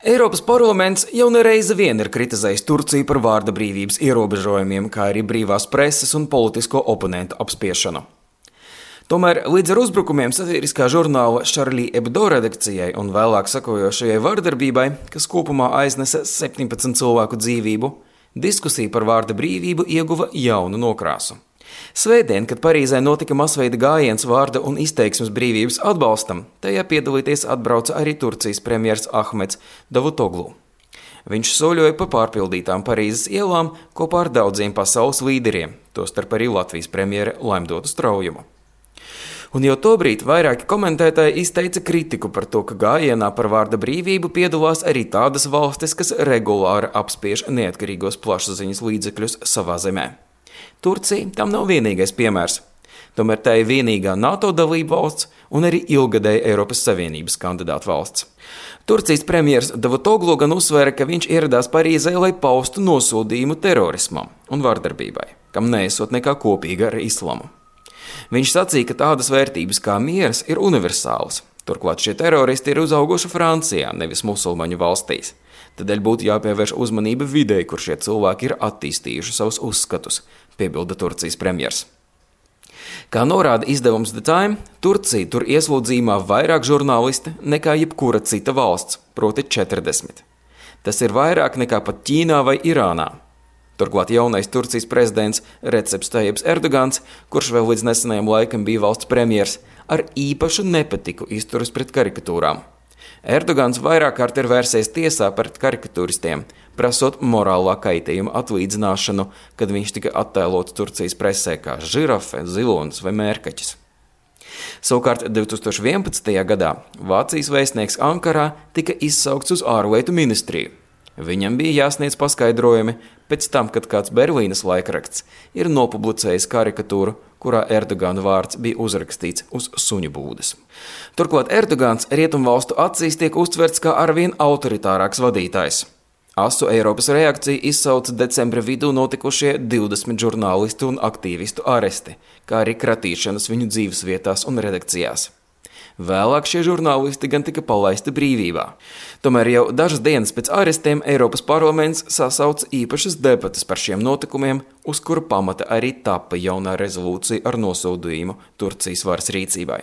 Eiropas parlaments jau nereizi vien ir kritizējis Turciju par vārda brīvības ierobežojumiem, kā arī brīvās preses un politisko oponentu apspiešanu. Tomēr līdz ar uzbrukumiem satiriskā žurnāla Charlie Hebdo redakcijai un vēlāk sekojošajai vardarbībai, kas kopumā aiznesa 17 cilvēku dzīvību, diskusija par vārda brīvību ieguva jaunu nokrāsu. Svētdien, kad Parīzē notika masveida gājiens vārda un izteiksmes brīvības atbalstam, tajā piedalīties atbrauca arī Turcijas premjers Ahmeds Davutoglu. Viņš soļoja pa pārpildītām Parīzes ielām kopā ar daudziem pasaules līderiem, tostarp arī Latvijas premjere Laimdotu Straujumu. Un jau tobrīd vairāki komentētāji izteica kritiku par to, ka gājienā par vārda brīvību piedalās arī tādas valstis, kas regulāri apspiež neatkarīgos plašsaziņas līdzekļus savā zemē. Turcija tam nav vienīgais piemērs. Tomēr tā ir vienīgā NATO dalība valsts un arī ilgadēja Eiropas Savienības kandidāta valsts. Turcijas premjers Davutoglu gan uzsvēra, ka viņš ieradās Parīzē, lai paustu nosodījumu terorismam un vardarbībai, kam neesot nekā kopīga ar islamu. Viņš sacīja, ka tādas vērtības kā miers ir universālas. Turklāt šie teroristi ir uzauguši Francijā, nevis musulmaņu valstīs. Tādēļ būtu jāpievērš uzmanība videi, kur šie cilvēki ir attīstījuši savus uzskatus, piebilda Turcijas premjers. Kā norāda izdevums The Time, Turcija tur ieslodzījumā vairāk žurnālisti nekā jebkura cita valsts, proti 40. Tas ir vairāk nekā pat Ķīnā vai Irānā. Turklāt jaunais Turcijas prezidents Receps Tajjips Erdogans, kurš vēl līdz nesenajam laikam bija valsts premjers, ar īpašu nepatiku izturas pret karikatūrām. Erdogans vairāk kārt ir vērsies tiesā pret karikatūristiem, prasot morālā kaitījuma atlīdzināšanu, kad viņš tika attēlots Turcijas presē kā žirafe, zilonis vai mērkaķis. Savukārt 2011. gadā Vācijas vēstnieks Ankarā tika izsaukts uz ārlietu ministriju. Viņam bija jāsniedz paskaidrojumi pēc tam, kad kāds Berlīnes laikraksts ir nopublicējis karikatūru, kurā Erdogana vārds bija uzrakstīts uz suņu būdes. Turklāt Erdogans rietumvalstu acīs tiek uztverts kā arvien autoritārāks vadītājs. Asu Eiropas reakciju izsauca decembra vidū notikušie 20 žurnālistu un aktīvistu aresti, kā arī kratīšanas viņu dzīvesvietās un redakcijās. Vēlāk šie žurnālisti gan tika palaisti brīvībā. Tomēr jau dažas dienas pēc arestiem Eiropas parlaments sasauca īpašas debates par šiem notikumiem, uz kura pamata arī tapa jaunā rezolūcija ar nosodījumu Turcijas varas rīcībai.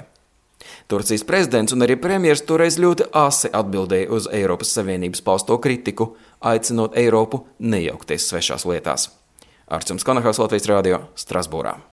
Turcijas prezidents un arī premjers toreiz ļoti asi atbildēja uz Eiropas Savienības pausto kritiku, aicinot Eiropu nejaukties svešās lietās. Arčuns Kanahals, Latvijas radio, Strasbūrā.